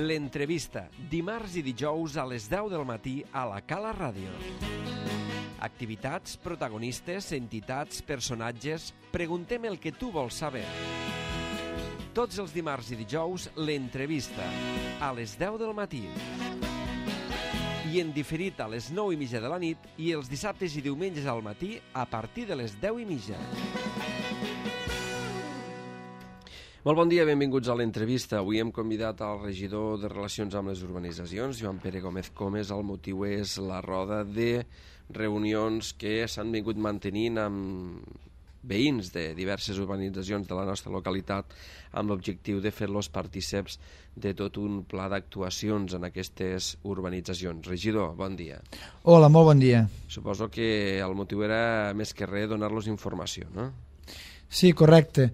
L'entrevista, dimarts i dijous a les 10 del matí a la Cala Ràdio. Activitats, protagonistes, entitats, personatges... Preguntem el que tu vols saber. Tots els dimarts i dijous, l'entrevista, a les 10 del matí. I en diferit a les 9:30 de la nit i els dissabtes i diumenges al matí a partir de les 10:30. Molt bon dia, benvinguts a l'entrevista. Avui hem convidat al regidor de Relacions amb les Urbanitzacions, Joan Pere Gómez Comes. El motiu és la roda de reunions que s'han vingut mantenint amb veïns de diverses urbanitzacions de la nostra localitat amb l'objectiu de fer-los partíceps de tot un pla d'actuacions en aquestes urbanitzacions. Regidor, bon dia. Hola, molt bon dia. Suposo que el motiu era més que res donar-los informació, no? Sí, correcte.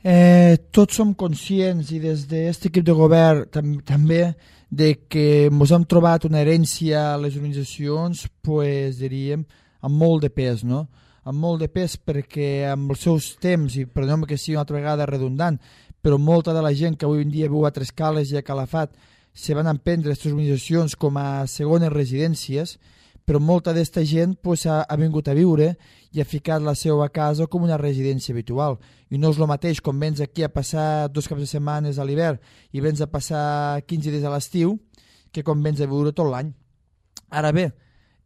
Tots som conscients i des d'aquest equip de govern també de que ens hem trobat una herència a les organitzacions, pues, diríem, amb molt de pes, no? Amb molt de pes perquè amb els seus temps, i perdoneu que sigui una altra vegada redundant, però molta de la gent que avui en dia viu a Trescales i a Calafat se van emprendre aquestes organitzacions com a segones residències, però molta d'aquesta gent pues, ha vingut a viure i ha ficat la seva casa com una residència habitual. I no és el mateix com vens aquí a passar 2 caps de setmanes a l'hivern i vens a passar 15 dies a l'estiu que com vens a viure tot l'any. Ara bé,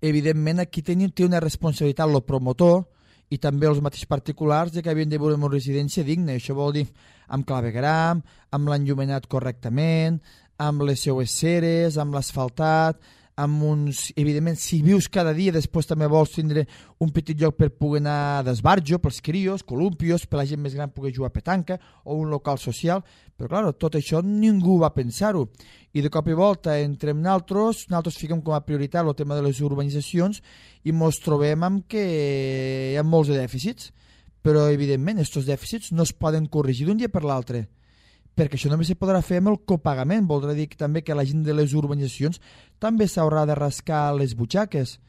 evidentment aquí té una responsabilitat el promotor i també els mateixos particulars de que havien de viure en una residència digna. Això vol dir amb clavegram, amb l'enllumenat correctament, amb les seues ceres, amb l'asfaltat, amb uns... Evidentment, si vius cada dia, després també vols tindre un petit lloc per poder anar d'esbarjo, pels crios, columpios, per la gent més gran poder jugar a petanca, o un local social, però clar, tot això ningú va pensar-ho. I de cop i volta, entre nosaltres fiquem com a prioritat el tema de les urbanitzacions i ens trobem amb que hi ha molts de dèficits, però evidentment aquests dèficits no es poden corregir d'un dia per l'altre, perquè això només se podrà fer amb el copagament. Voldrà dir també que la gent de les urbanitzacions també s'haurà de rascar les butxaques.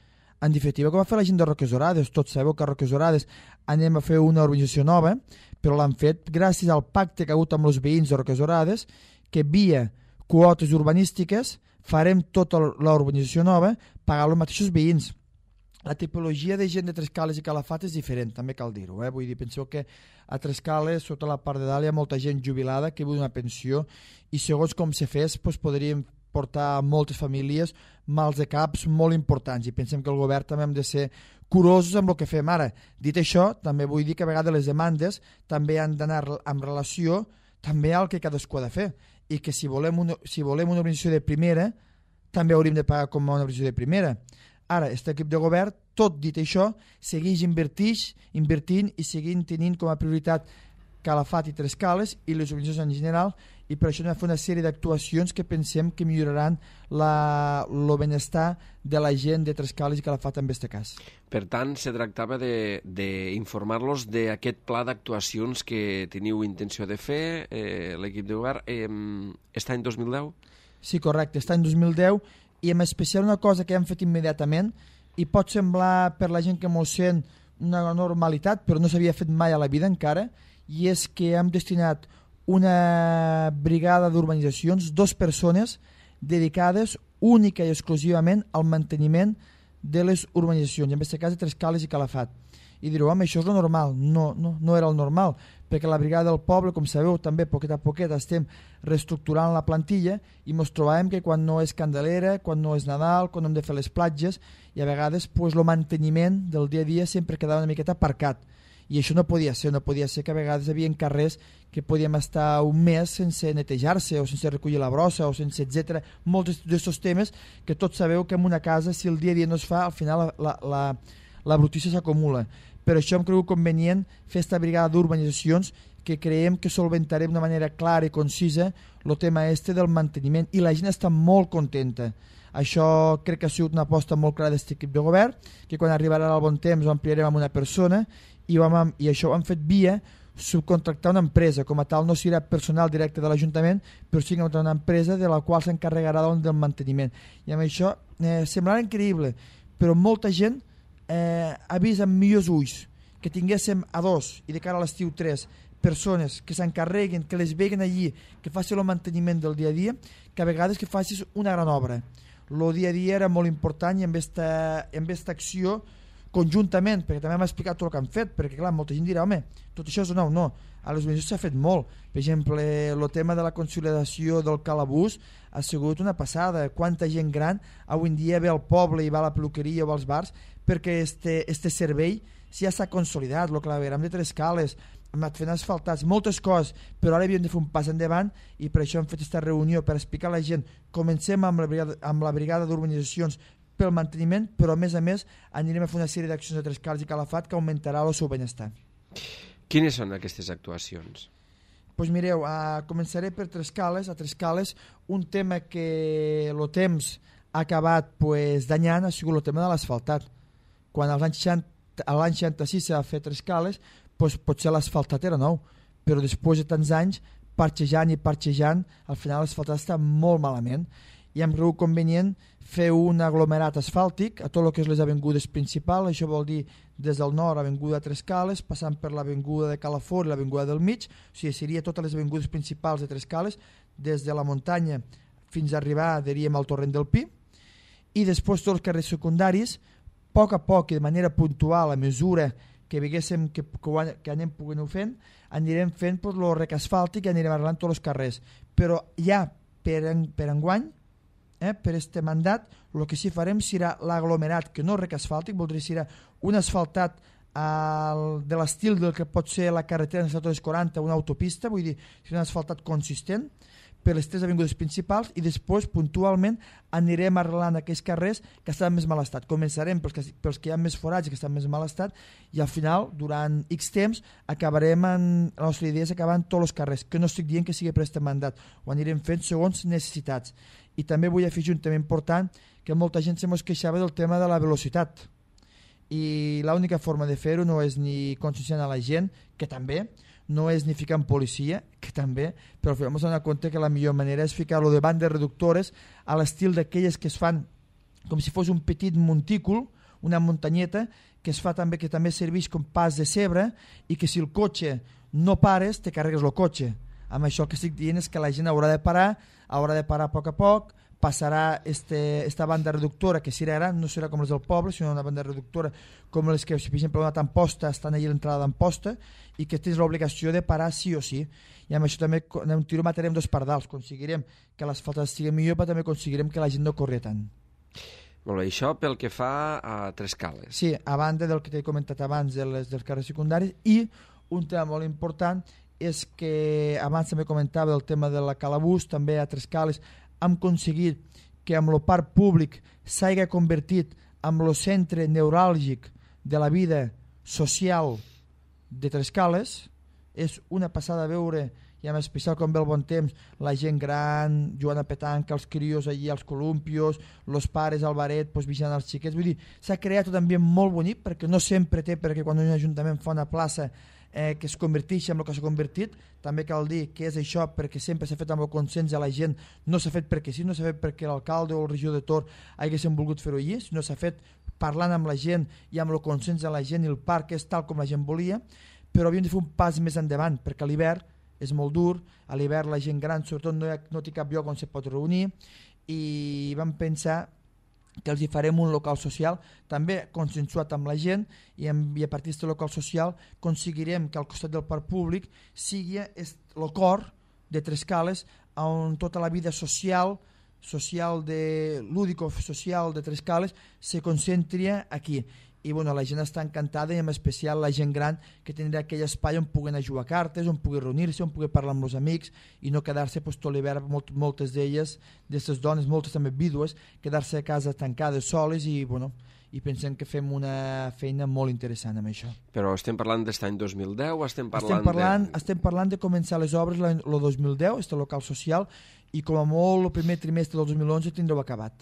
En definitiva, com va fer la gent de Roques Orades. Tots sabeu que a Roques Orades anem a fer una urbanització nova, però l'han fet gràcies al pacte que ha hagut amb els veïns de Roques Orades, que via quotes urbanístiques farem tota l'urbanització nova pagant els mateixos veïns. La tipologia de gent de Trescales i Calafat és diferent, també cal dir-ho. Vull dir, penseu que a Trescales, sota la part de dalt, hi ha molta gent jubilada que viu d'una pensió i segons com se fes, doncs, podríem portar a moltes famílies mals de caps molt importants i pensem que el govern també hem de ser curosos amb el que fem ara. Dit això, també vull dir que a vegades les demandes també han d'anar en relació també al que cadascú ha de fer i que si volem una organització de primera també hauríem de pagar com una organització de primera. Ara, aquest equip de govern, tot dit això, segueix invertint i seguint tenint com a prioritat Calafat i Trescales i les organitzacions en general, i per això hem de fer una sèrie d'actuacions que pensem que milloraran el benestar de la gent de Trescales i Calafat en aquest cas. Per tant, se tractava d'informar-los d'aquest pla d'actuacions que teniu intenció de fer, l'equip de govern, està en 2010? Sí, correcte, està en 2010, i en especial una cosa que hem fet immediatament i pot semblar per la gent que m'ho sent una normalitat, però no s'havia fet mai a la vida encara, i és que hem destinat una brigada d'urbanitzacions, 2 persones dedicades única i exclusivament al manteniment de les urbanitzacions, en aquest cas de Trescales i Calafat. I direu, home, això és el normal. No era el normal, perquè la brigada del poble, com sabeu, també poquet a poquet estem reestructurant la plantilla i ens trobàvem que quan no és Candelera, quan no és Nadal, quan hem de fer les platges, i a vegades el manteniment del dia a dia sempre quedava una miqueta aparcat. I això no podia ser que a vegades hi havia carrers que podíem estar un mes sense netejar-se o sense recollir la brossa o sense etc. Molts d'aquests temes que tots sabeu que en una casa, si el dia a dia no es fa, al final la brutícia s'acumula. Per això hem cregut convenient fer aquesta brigada d'urbanitzacions que creiem que solventarem d'una manera clara i concisa el tema del manteniment i la gent està molt contenta. Això crec que ha sigut una aposta molt clara d'aquest equip de govern, que quan arribarà el bon temps ho ampliarem amb una persona i això ho hem fet via subcontractar una empresa. Com a tal no serà personal directe de l'Ajuntament, però sí que una empresa de la qual s'encarregarà del manteniment. I amb això semblarà increïble, però molta gent ha vist amb millors ulls que tinguéssim a 2 i de cara a l'estiu 3 persones que s'encarreguen, que les veguen allí, que facin el manteniment del dia a dia, que a vegades que facis una gran obra. El dia a dia era molt important i amb esta acció conjuntament, perquè també m'ha explicat tot el que han fet, perquè clar, molta gent dirà, home, tot això és nou, no, a les organitzacions s'ha fet molt. Per exemple, el tema de la consolidació del calabús ha sigut una passada. Quanta gent gran avui en dia ve al poble i va a la peluqueria o als bars perquè este servei ja s'ha consolidat. El clavegram de Trescales, hem anat fent asfaltats, moltes coses, però ara havíem de fer un pas endavant i per això hem fet aquesta reunió per explicar a la gent. Comencem amb la brigada d'urbanitzacions pel manteniment, però a més anirem a fer una sèrie d'accions a Trescales i Calafat que augmentarà el seu benestar. Quines són aquestes actuacions? Doncs mireu, començaré per Trescales. A Trescales un tema que el temps ha acabat danyant ha sigut el tema de l'asfaltat. Quan als anys 66 s'ha fet Trescales, potser l'asfaltat era nou, però després de tants anys, parxejant, al final l'asfaltat està molt malament i hem cregut convenient fer un aglomerat asfàltic a tot el que és les avingudes principals. Això vol dir des del nord, avinguda Trescales, passant per l'avinguda de Calafort i l'avinguda del mig, o sigui, seria totes les avingudes principals de Trescales, des de la muntanya fins a arribar, diríem, al torrent del Pi, i després tots els carrers secundaris, a poc i de manera puntual, a mesura que veiéssim que anem fent, anirem fent el rec asfàltic i anirem arreglant tots els carrers. Però ja per enguany, per este mandat, el que sí farem serà l'aglomerat, que no rec asfàltic, voldria serà un asfaltat de l'estil del que pot ser la carretera de 40, una autopista, vull dir, un asfaltat consistent per les 3 avingudes principals i després puntualment anirem arreglant aquells carrers que estan en més mal estat. Començarem pels que hi ha més forats i que estan en més mal estat i al final, durant X temps, la nostra idea és acabar en tots els carrers, que no estic dient que sigui per aquest mandat, ho anirem fent segons necessitats. I també vull afegir un tema important, que molta gent se mos queixava del tema de la velocitat. I l'única forma de fer-ho no és ni conscienciant a la gent, que també, no és ni ficar en policia, que també, però hem de donar compte que la millor manera és ficar-lo de bandes reductores a l'estil d'aquelles que es fan com si fos un petit montícul, una muntanyeta, que es fa també, que també serveix com pas de cebre i que si el cotxe no pares, te carregues el cotxe. Amb això el que estic dient és que la gent haurà de parar a poc, passarà esta banda reductora, que serà gran, no serà com les del poble, sinó una banda reductora com les que, si per exemple, una Amposta, estan allà a l'entrada d'Amposta, i que tens l'obligació de parar sí o sí. I amb això també un tiro matarem 2 pardals, aconseguirem que l'asfaltat estigui millor, però també aconseguirem que la gent no corri tant. Molt bé, això pel que fa a Trescales. Sí, a banda del que t'he comentat abans dels carrers secundaris, i un tema molt important és que abans també comentava del tema de la calabús, també a Trescales hem aconseguit que amb el parc públic s'hagi convertit en el centre neuràlgic de la vida social de Trescales. És una passada veure, i en especial quan ve el bon temps, la gent gran jugant a petanca, els crios allí als columpios, els pares al baret vigilant els xiquets. Vull dir, s'ha creat un ambient molt bonic, perquè no sempre té, perquè quan un ajuntament fa una plaça que es converteix en el que s'ha convertit, també cal dir que és això perquè sempre s'ha fet amb el consens de la gent, no s'ha fet perquè sí, no s'ha fet perquè l'alcalde o el regidor de Tor haguessin volgut fer-ho allí, sinó s'ha fet parlant amb la gent i amb el consens de la gent, i el parc és tal com la gent volia, però havíem de fer un pas més endavant, perquè a l'hivern és molt dur, a l'hivern la gent gran sobretot no té cap lloc on se pot reunir, i vam pensar que els hi farem un local social també consensuat amb la gent, i a partir d'aquest local social aconseguirem que al costat del parc públic sigui el cor de Trescales, on tota la vida social lúdico-social de Trescales se concentri aquí. I la gent està encantada, i en especial la gent gran, que tindrà aquell espai on puguen jugar cartes, on pugui reunir-se, on pugui parlar amb els amics i no quedar-se tot l'hivern, moltes d'elles, d'aquestes dones, moltes també vídues, quedar-se a casa tancades soles, i pensem que fem una feina molt interessant amb això. Però estem parlant d'aquest any 2010? Estem parlant de començar les obres el 2010, este local social, i com a molt el primer trimestre del 2011 tindreu acabat.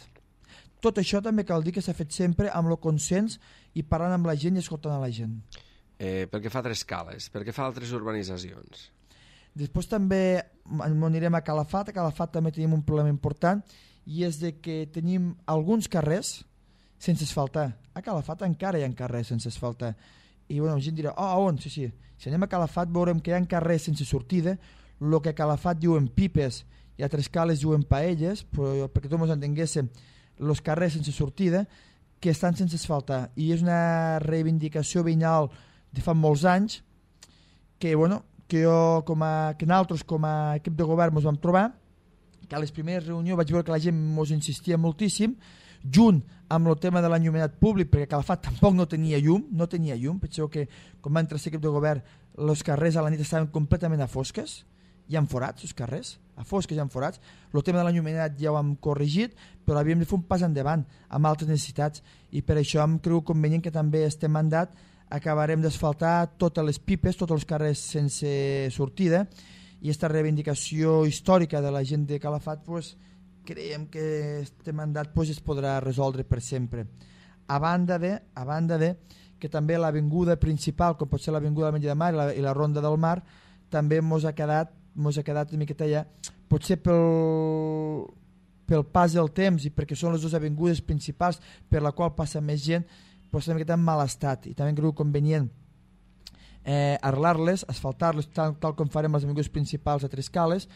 Tot això també cal dir que s'ha fet sempre amb el consens i parlant amb la gent i escoltant a la gent. Pel que fa a Trescales, pel que fa a altres urbanitzacions? Després també anirem a Calafat. A Calafat també tenim un problema important, i és de que tenim alguns carrers sense asfaltar. A Calafat encara hi ha carrers sense asfaltar, i bueno, la gent dirà, on? Sí, si anem a Calafat veurem que hi ha carrers sense sortida, el que a Calafat diuen pipes i a Trescales diuen paelles, però perquè tots ens entenguéssim, els carrers sense sortida que estan sense asfaltar, i és una reivindicació veïnal de fa molts anys que, bueno, que nosaltres com a equip de govern ens vam trobar, que a les primeres reunions vaig veure que la gent ens insistia moltíssim, junt amb el tema de l'enllumenat públic, perquè Calafat tampoc no tenia llum, penseu que quan va entrar l'equip de govern els carrers a la nit estaven completament a fosques, hi ha forats els carrers, a fosques hi ha forats, el tema de l'enllumenat ja ho hem corregit, però havíem de fer un pas endavant amb altres necessitats, i per això em creu convenient que també este mandat acabarem d'asfaltar totes les pipes, tots els carrers sense sortida, i aquesta reivindicació històrica de la gent de Calafat, pues, creiem que este mandat pues, es podrà resoldre per sempre. A banda de que també l'avinguda principal, com pot ser l'avinguda del Metge de Mar i la Ronda del Mar, també mos ha quedat una miqueta ja, potser pel pas del temps i perquè són les dues avingudes principals per la qual passa més gent, però està una miqueta en mal estat, i també creu convenient arreglar-les, asfaltar-les tal com farem les avingudes principals a Trescales.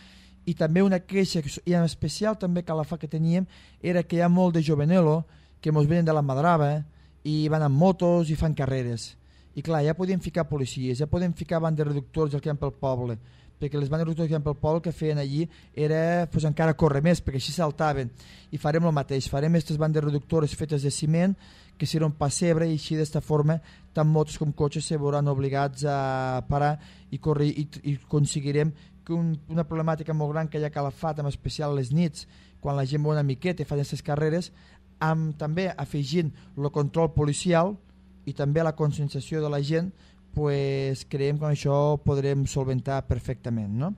I també una queixa, i en especial també Calafat que teníem, era que hi ha molt de jovenelo que mos venen de la Madrava i van amb motos i fan carreres, i clar, ja podem ficar policies, ja podem ficar bandes reductors que hi ha pel poble, perquè les bandes reductors que hi ha pel poble que feien allí era pues, encara córrer més, perquè així saltaven, i farem el mateix, farem aquestes bandes reductores fetes de ciment que serà un pessebre, i així d'esta forma tant motos com cotxes se veuran obligats a parar i córrer, i aconseguirem que una problemàtica molt gran que hi ha a Calafat, en especial les nits, quan la gent va una miqueta i fa aquestes carreres, amb també afegint el control policial i també la conscienciació de la gent, pues, creiem que amb això podrem solventar perfectament, no?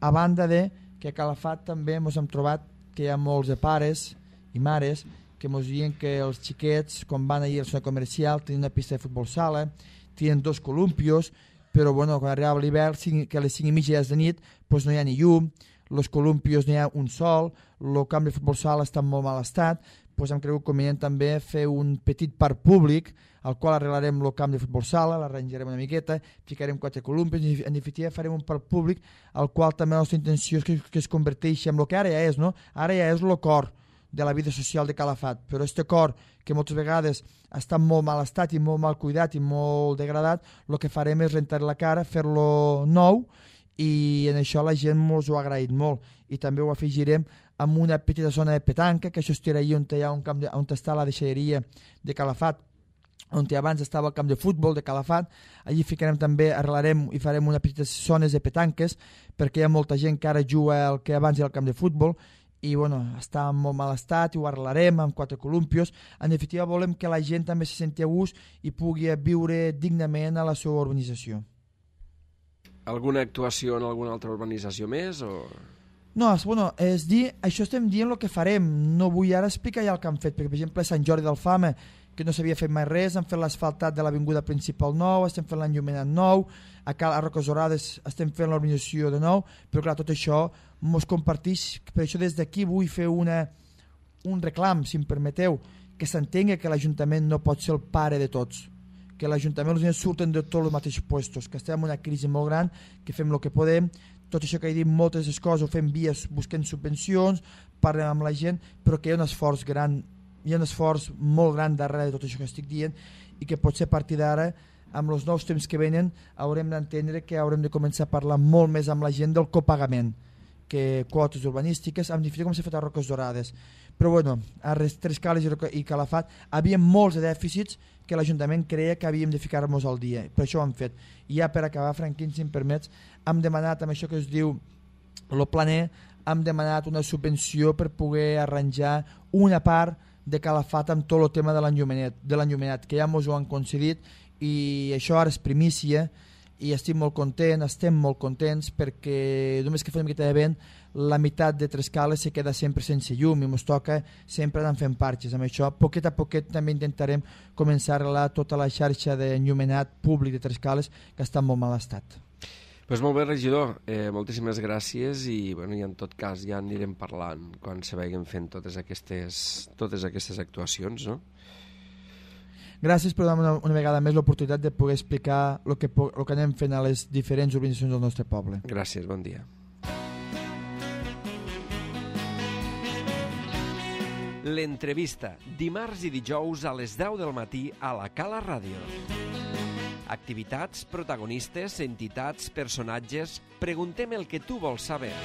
A banda de que a Calafat també ens hem trobat que hi ha molts de pares i mares que ens diuen que els xiquets, quan van ahir a la zona comercial, tenen una pista de futbol sala, tenen 2 columpios, però bueno, quan arribava l'hivern, que a les 5:30 de nit pues no hi ha ni llum, els columpios no hi ha un sol, el camp de futbol sala està en molt mal estat, pues hem cregut convenient també fer un petit parc públic al qual arreglarem el camp de futbol sala, l'arranjarem una miqueta, ficarem 4 columpios, en definitiva farem un parc públic al qual també la nostra intenció és que es converteixi en el que ara ja és, no? Ara ja és el cor de la vida social de Calafat, però este cor que moltes vegades està en molt mal estat i molt mal cuidat i molt degradat, el que farem és rentar la cara, fer-lo nou, i en això la gent ens ho ha agraït molt, i també ho afegirem amb una petita zona de petanca, que això estirà allà on hi ha un camp on està la deixalleria de Calafat, on abans estava el camp de futbol de Calafat. Allí ficarem també, arreglarem i farem unes petites zones de petanques, perquè hi ha molta gent que ara juga el que abans era el camp de futbol, i bueno, està en molt mal estat, i ho arreglarem amb 4 columpios. En definitiva volem que la gent també se senti a gust i pugui viure dignament a la seva urbanització. Alguna actuació en alguna altra urbanització més? O... No, bueno, és dir, això estem dient el que farem, no vull ara explicar ja el que han fet, perquè per exemple a Sant Jordi d'Alfama, que no s'havia fet mai res, han fet l'asfaltat de l'avinguda principal nou, estem fent l'enllumenat nou, a Roques Dorades estem fent l'urbanització de nou, però clar, tot això mos comparteix, per això des d'aquí vull fer un reclam, si em permeteu, que s'entengui que l'Ajuntament no pot ser el pare de tots, que l'Ajuntament els diners surten de tots els mateixos puestos, que estem en una crisi molt gran, que fem el que podem, tot això que he dit, moltes coses ho fem vies busquem subvencions, parlem amb la gent, però que hi ha un esforç gran, hi ha un esforç molt gran darrere de tot això que estic dient, i que potser a partir d'ara, amb els nous temps que venen, haurem d'entendre que haurem de començar a parlar molt més amb la gent del copagament, que quotes urbanístiques, en definitiva com s'ha fet a Roques Dorades. Però bueno, a Trescales i Calafat havia molts de dèficits que l'Ajuntament creia que havíem de ficar-nos al dia, per això ho hem fet. I ja per acabar, Franquín, si em permets, hem demanat amb això que es diu el planer, hem demanat una subvenció per poder arranjar una part de Calafat amb tot el tema de l'enllumenat, que ja ens ho han concedit, i això ara és primícia, i estem molt contents perquè només que fem una miqueta de vent la meitat de Trescales se queda sempre sense llum i ens toca sempre anar fent parxes. Amb això, poquet a poquet també intentarem començar a arreglar tota la xarxa d'enllumenat públic de Trescales que està en molt mal estat. Pues molt bé, regidor, moltíssimes gràcies i, bueno, i en tot cas ja anirem parlant quan se vagin fent totes aquestes actuacions, no? Gràcies per donar una vegada més l'oportunitat de poder explicar el que anem fent a les diferents organitzacions del nostre poble. Gràcies, bon dia. L'entrevista, dimarts i dijous a les 10 del matí a la Cala Ràdio. Activitats, protagonistes, entitats, personatges... Preguntem el que tu vols saber.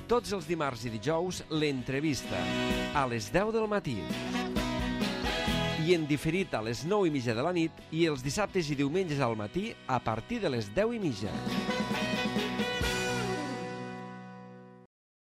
Tots els dimarts i dijous, l'entrevista, a les 10 del matí. I en diferit a les 9:30 de la nit i els dissabtes i diumenges al matí a partir de les 10:30.